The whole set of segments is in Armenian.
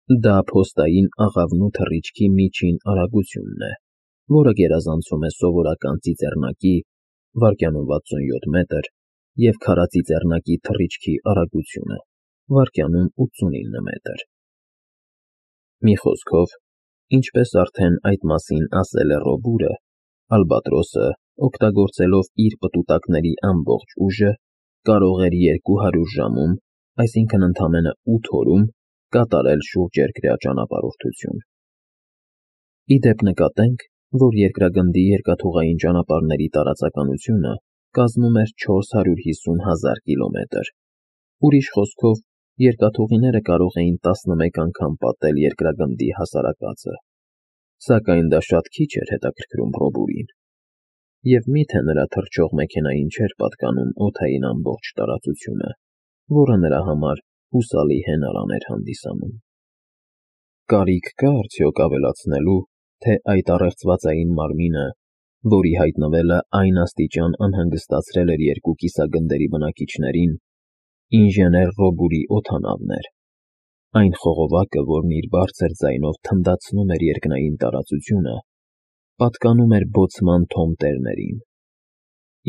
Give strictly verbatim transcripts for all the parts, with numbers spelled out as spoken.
Դա փոստային աղավնու թռիչքի միջին արագությունն է, որը գերազանցում է սովորական ծիծեռնակի (վայրկյանում վաթսունյոթ մետր) և քարածիծեռնակի թռիչքի արագությունը (վայրկյանում ութսունինը մետր)։ Մի խոսքով, ինչպես արդեն այդ մասին ասել է Ռոբուրը, ալբատրոսը, օգտագործելով իր պտուտակների ամբողջ ուժը, կարող էր երկու հարյուր ժամում, այսինքն՝ ընդամենը ութ օրում, կատարել շուրջերկրյա ճանապարհորդություն։ Ի դեպ, նկատենք, որ երկրագնդի երկաթուղային ճանապարհների տարածականությունը կազմում էր չորս հարյուր հիսուն հազար կիլոմետր։ Ուրիշ խոսքով, երկաթուղիները կարող էին տասնմեկ անգամ պատել երկրագնդի հասարակածը։ Սակայն դա շատ քիչ էր հետաքրքրում Ռոբուրին։ Եվ մի՞թե նրա թռչող մեքենային չէր պատկանում օդային ամբողջ տարածությունը, որը նրա համար հուսալի հենարան էր հանդիսանում։ Կարիք կա՞ արդյոք ավելացնելու, թե այդ առեղծվածային մարմինը, որի հայտնվելը այն աստիճան անհանգստացրել էր երկու կիսագնդերի բնակիչներին, ինժեներ Ռոբուրի օդանավն էր, այն խողովակը, որն իր բարձր ձայնով թնդացնում էր երկնային տարածությունը, պատկանում էր Բոցման Թոմ տերներին։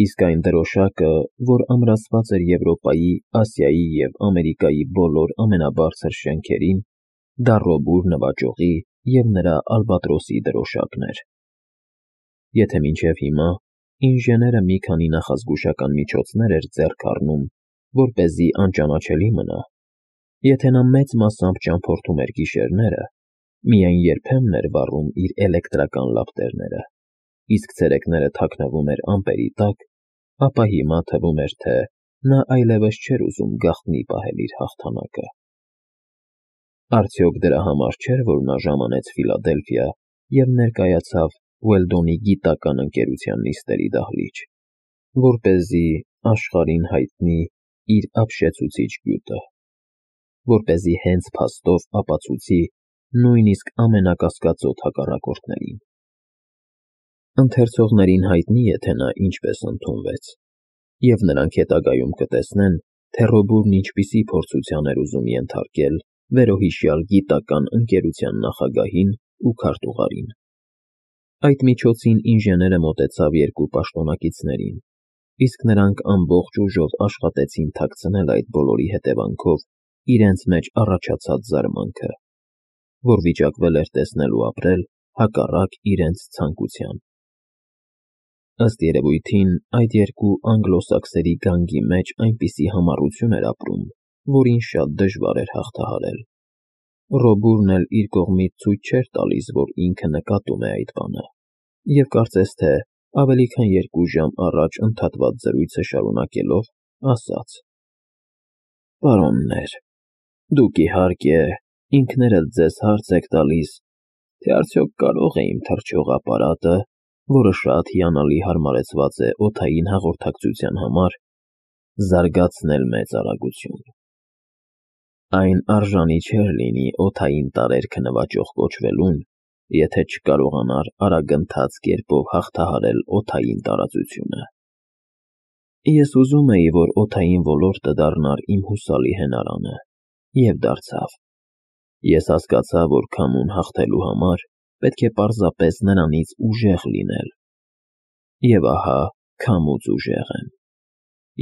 Իսկ այն դրոշակը, որ ամրացված էր Եվրոպայի, Ասիայի և Ամերիկայի բոլոր ամենաբարձր շենքերին, դա Ռոբուր նվաճողի և նրա ալբատրոսի դրոշակն էր։ Եթե մինչև հիմա ինժեները մի քանի նախազգուշական միջոցներ էր ձեռք առնում, որպեսզի անճանաչելի մնա, եթե նա մեծ մասամբ ճամփորդում էր գիշերները, միայն երբեմն էր վառում իր էլեկտրական լապտերները, իսկ ցերեկները թաքնվում էր ամպերի տակ, ապա հիմա թվում էր, թե նա այլևս չէր ուզում գաղտնի պահել իր հաղթանակը։ Արդյոք դրա համար չէր, որ նա ժամանեց Ֆիլադելֆիա և ներկայացավ Ուելդոնի գիտական ընկերության նիստերի դահլիճ, որպեսզի աշխարհին հայտնի իր ապշեցուցիչ գյուտը, որպեսզի հենց փաստով ապացուցի նույնիսկ ամենակասկածոտ հակառակորդներին։ Ընթերցողներին հայտնի է, թե նա ինչպես ընդունվեց, և նրանք հետագայում կտեսնեն, թե Ռոբուրն ինչպիսի փորձության էր ուզում ենթարկել վերոհիշյալ գիտական ընկերության նախագահին ու քարտուղարին։ Այդ միջոցին ինժեները մոտեցավ երկու պաշտոնակիցներին, իսկ նրանք ամբողջ ուժով աշխատեցին թաքցնել այդ բոլորի հետևանքով իրենց մեջ առաջացած զարմանքը, որ վիճակվել էր տեսնել ու ապրել հակառակ իրենց ցանկության։ Ըստ երևույթին, այդ երկու անգլոսաքսերի գանգի մեջ այնպիսի համառություն էր ապրում, որին շատ դժվար էր հաղթահարել։ Ռոբուրն էլ իր կողմից ցույց չէր տալիս, որ ինքը նկատում է այդ բանը, և կարծես թե ավելի քան երկու ժամ առաջ ընդհատված զրույցը շարունակելով, ասաց. «Պարոններ, դուք, իհարկե, ինքներդ ձեզ հարց եք տալիս, թե արդյոք կարո՞ղ է իմ թռչող ապարատը, որը շատ հիանալի հարմարեցված է օդային հաղորդակցության համար, զարգացնել մեծ արագություն։ Այն արժանի չէր լինի օդային տարերքը նվաճող կոչվելուն, եթե չկարողանար արագընթաց կերպով հաղթահարել օդային տարածությունը։ Ես ուզում էի, որ օդային ոլորտը դառնար իմ հուսալի հենարանը, և դարձավ։ Ես հասկացա, որ քամուն հաղթելու համար պետք է պարզապես նրանից ուժեղ լինել։ Եվ ահա քամուց ուժեղ եմ։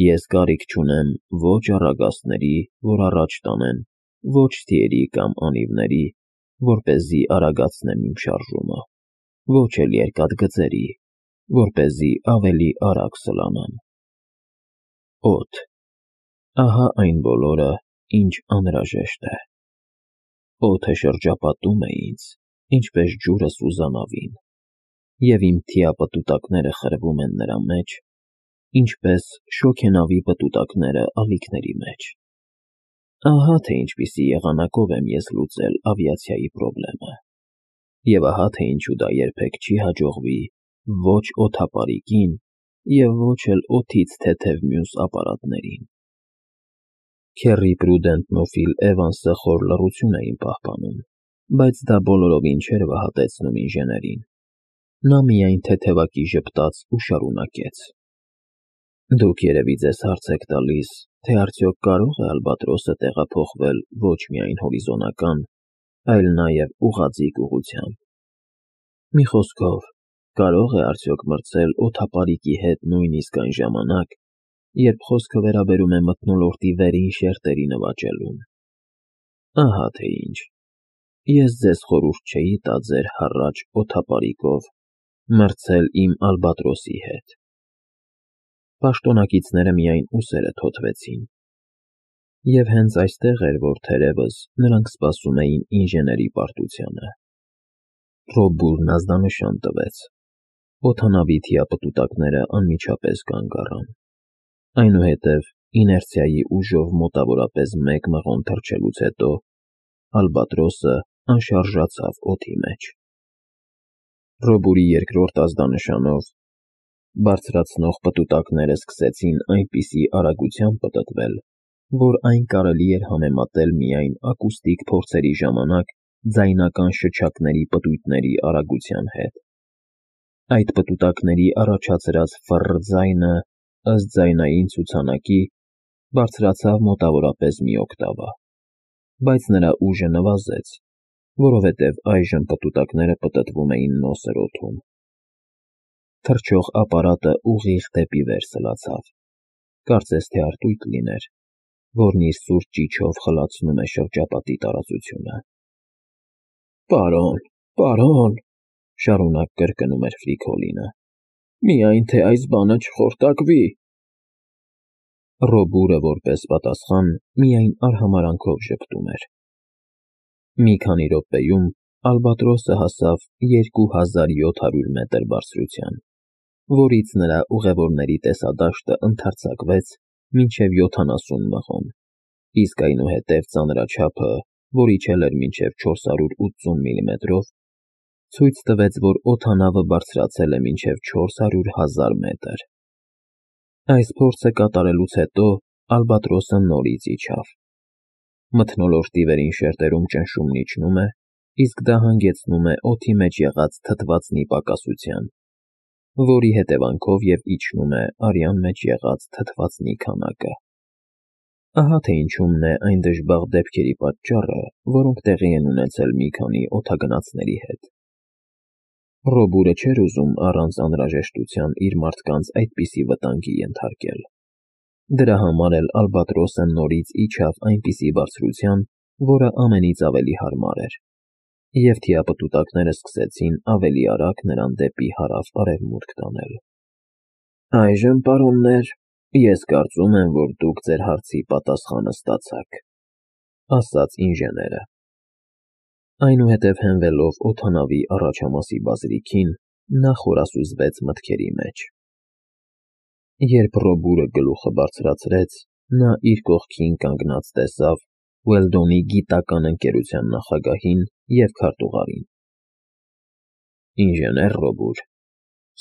Ես կարիք չունեմ ոչ առագաստների, որ առաջ տանեն, ոչ թիերի կամ անիվների, որպեսզի արագացնեմ իմ շարժումը, ոչ էլ երկաթգծերի, որպեսզի ավելի արագ սլանամ։ Օդ, ահա այն բոլորը, ինչ անհրաժեշտ է։ Օդը շրջապատում է ինձ, ինչպես ջուրը սուզանավին, և իմ թիապտուտակները խրվում են նրա մեջ, ինչպես շոգենավի պտուտակները ալիքների մեջ։ Ահա թե ինչպիսի եղանակով եմ ես լուծել ավիացիայի պրոբլեմը, և ահա թե ինչու դա երբեք չի հաջողվի ոչ օդապարիկին և ոչ էլ օդից թեթև մյուս ապարատներին»։ Քեռի Պրուդենտն ու Ֆիլ Էվանսը խոր լռություն էին պահպանում, բայց դա բոլորովին չէր վհատեցնում ինժեներին։ Նա միայն թեթևակի ժպտաց ու շարունակեց. «Դուք երևի ձեզ հարց եք տալիս, թե արդյոք կարո՞ղ է ալբատրոսը տեղափոխվել ոչ միայն հորիզոնական, այլ նաև ուղղաձիգ ուղղությամբ։ Մի խոսքով, կարո՞ղ է արդյոք մրցել օդապարիկի հետ նույնիսկ այն ժամանակ, երբ խոսքը վերաբերում է մթնոլորտի վերին շերտերի նվաճելուն։ Ահա թե ինչ։ Ես ձեզ խորհուրդ չէի տա ձեր հառաջ օդապարիկով մրցել իմ ալբատրոսի հետ։ Պաշտոնակիցները միայն ուսերը թոթվեցին։ Եվ հենց այստեղ էր, որ թերևս նրանք սպասում էին ինժեների պարտությանը։ Ռոբուրն ազդանշան տվեց։ Օդանավի թիապտուտակները անմիջապես կանգ առան։ Այնուհետև իներցիայի ուժով մոտավորապես մեկ մղոն թռչելուց հետո ալբատրոսը անշարժացավ օդի մեջ։ Ռոբուրի երկրորդ ազդանշանով բարձրացնող պտուտակները սկսեցին այնպիսի արագությամբ պտտվել, որ այն կարելի էր համեմատել միայն ակուստիկ փորձերի ժամանակ ձայնական շչակների պտույտների արագության հետ։ Այդ պտուտակների առաջացրած ֆռռ ձայնը, ըստ ձայնային ցուցանակի, բարձրացավ մոտավորապես մի օկտավա, բայց նրա ուժը նվազեց, որովհետև այժմ պտուտակները պտտվում էին նոսր օդում։ Թռչող ապարատը ուղիղ դեպի վեր սլացավ, կարծես թե արտույտ լիներ, որն իր սուր ճիչով խլացնում է շրջապատի տարածությունը։ Պարոն, պարոն, շարունակ կրկնում էր Ֆրիկոլինը, միայն թե այս բանը չխորտակվի։ Ռոբուրը որպես պատասխան միայն արհամարանքով ժպտում էր։ Մի քանի րոպեում ալբատրոսը հասավ երկու հազար յոթ հարյուր մետր բարձրության, որից նրա ուղևորների տեսադաշտը ընդարձակվեց մինչև յոթանասուն մղոն, իսկ այնուհետև ծանրաչափը, որ իջել էր մինչև չորս հարյուր ութսուն միլիմետրով, ցույց տվեց, որ օդանավը բարձրացել է մինչև չորս հարյուր հազար մետր։ Այս փորձը կատարելուց հետո ալբատրոսը նորից իջավ։ Մթնոլորտի վերին շերտերում ճնշումն իջնում է, իսկ դա հանգեցնում է օդի մեջ եղած թթվածնի պակասության, որի հետևանքով և իջնում է արյան մեջ եղած թթվածնի քանակը։ Ահա թե ինչումն է այն դժբախտ դեպքերի պատճառը, որոնք տեղի են ունեցել մի քանի օդագնացների հետ։ Ռոբուրը չէր ուզում առանց անհրաժեշտության իր մարդկանց այդպիսի վտանգի ենթարկել։ Դրա համար էլ ալբատրոսը նորից իջավ այնպիսի բարձրության, որը ամենից ավելի հարմար էր, և թիապտուտակները սկսեցին ավելի արագ նրան դեպի հարավ-արևմուտք տանել։ Այժմ, պարոններ, ես կարծում եմ, որ դուք ձեր հարցի պատասխանը ստացաք, ասաց ինժեները։ Այնուհետև հենվելով օդանավի առաջամասի բազրիքին, նա խորասուզվեց մտքերի մեջ։ Երբ Ռոբուրը գլուխը բարձրացրեց, նա իր կողքին կանգնած տեսավ Ուելդոնի գիտական ընկերության նախագահին և քարտուղարին։ Ինժեներ Ռոբուր,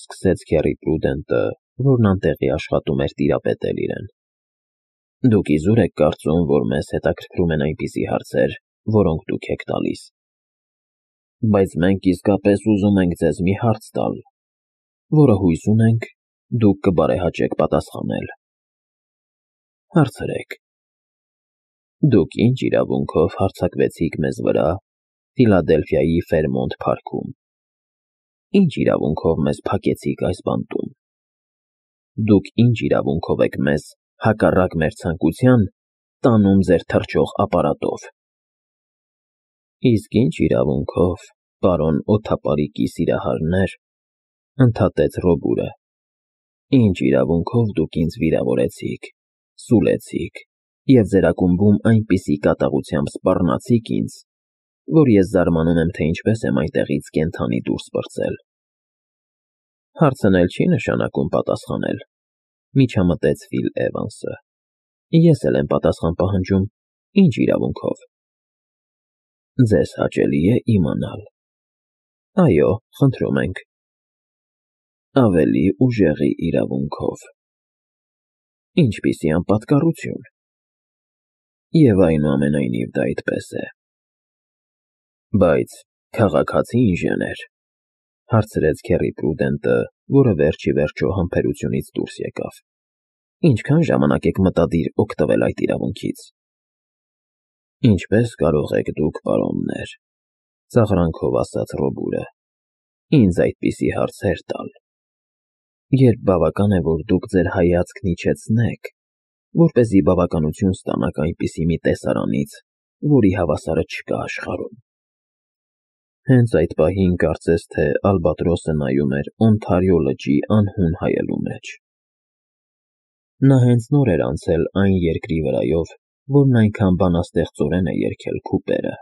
սկսեց Քեռի Պրուդենտը, որն անտեղի աշխատում էր տիրապետել իրեն, դուք իզուր եք կարծում, որ մեզ հետաքրքրում են այնպիսի հարցեր, որոնք դուք եք տալիս։ Բայց մենք իսկապես ուզում ենք ձեզ մի հարց տալ, որը հույս ունենք դուք կբարեհաճեք պատասխանել։ Հարցրեք։ Դուք ինչ իրավունքով հարձակվեցիք մեզ վրա Ֆիլադելֆիայի Ֆերմոնտ փարքում։ Ինչ իրավունքով մեզ փակեցիք այս բանտում։ Դուք ինչ իրավունքով եք մեզ, հակառակ մեր ցանկության, տանում ձեր թռչող ապարատով։ Իսկ ինչ իրավունքով, պարոն օդապարիկի սիրահարներ, ընդհատեց Ռոբուրը, ինչ իրավունքով դուք ինձ վիրավորեցիք, սուլեցիք և ձեր ակումբում այնպիսի կատաղությամբ սպառնացիք ինձ, որ ես զարմանում եմ, թե ինչպես եմ այնտեղից կենդանի դուրս պրծել։ Հարցն էլ չի նշանակում պատասխանել, միջամտեց Ֆիլ Էվանսը։ Ես էլ եմ պատասխան պահանջում, ինչ իրավունքով։ Ձեզ հաճելի է իմանալ։ Այո, խնդրում ենք։ Ավելի ուժեղի իրավունքով։ Ինչպիսի անպատկառություն։ Եվ այնուամենայնիվ դա այդպես է։ Բայց քաղաքացի ինժեներ, հարցրեց Քեռի Պրուդենտը, որը վերջ ի վերջո համբերությունից դուրս եկավ, ինչքան ժամանակ եք մտադիր օգտվել այդ իրավունքից։ Ինչպես կարող եք դուք, պարոններ, Ծաղրանքով ասաց Ռոբուրը, ինձ այդպիսի հարցեր տալ։ Երբ բավական է, որ դուք ձեր հայացքն իջեցնեք, որպեսզի բավականություն ստանաք այնպիսի մի տեսարանից, որի հավասարը չկա աշխարհում։ Հենց այդ պահին կարծես թե Ալբատրոսը նայում էր Օնթարիո լճի անհուն հայելու մեջ։ Նա հենց նոր էր անցել այն երկրի վրայով, որն այնքան բանաստեղծորեն է երգել Քուպերը։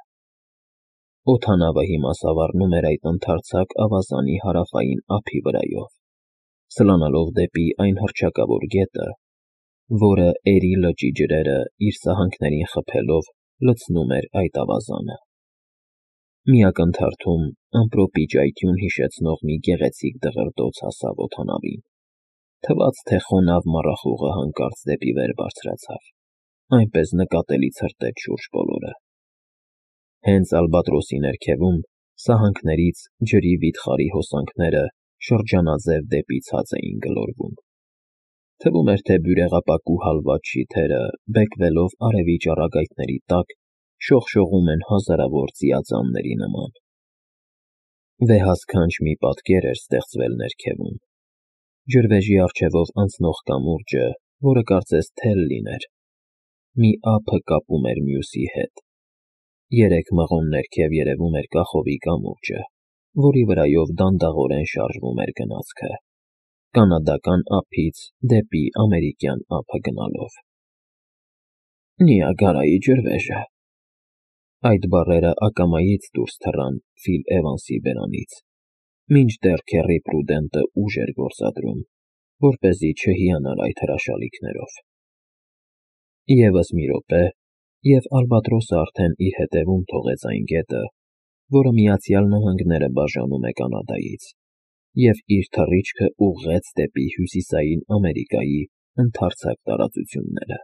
Օդանավը հիմա սավառնում էր այդ ընդարձակ ավազանի հարավային ափի վրայով, սլանալով դեպի այն հռչակավոր գետը, որը Էրի լճի ջրերը իր սահանքներին խփելով լցնում էր այդ ավազանը։ Մի ակնթարթում ամպրոպի ճայթյուն հիշեցնող մի գեղեցիկ դղրդոց հասավ օդանավին, թվաց, թե խոնավ մառախուղը հանկարծ դեպի վեր բարձրացավ, այնպես նկատելի ցրտեց շուրջ բոլորը։ Հենց Ալբատրոսի ներքևում սահանքներից ջրի վիթխարի հոսանքները շրջանաձև դեպի ցած էին գլորվում։ Թվում էր, թե բյուրեղապակու հալված շիթերը, բեկվելով արևի ճառագայթների տակ, շողշողում են հազարավոր ծիածանների նման։ Վեհասքանչ մի պատկեր էր ստեղծվել ներքևում։ Ջրվեժի առջևով անցնող կամուրջը, որը կարծես թել լիներ, մի ափը կապում էր մյուսի հետ։ Երեք մղոն ներքև երևում էր կախովի կամուրջը, որի վրայով դանդաղորեն շարժվում էր գնացքը, կանադական ափից դեպի ամերիկյան ափը գնալով։ Նիագարայի ջրվեժը։ Այդ բառերը ակամայից դուրս թռան Ֆիլ Էվանսի բերանից, մինչդեռ քեռի Պրուդենտը ուժ էր գործադրում, որպեսզի չհիանար այդ հրաշալիքներով։ Եվս մի րոպե, և Ալբատրոսը արդեն իր հետևում թողեց այն գետը, որը Միացյալ Նահանգները բաժանում է Կանադայից, և իր թռիչքը ուղղեց դեպի Հյուսիսային Ամերիկայի ընդարձակ տարածությունները։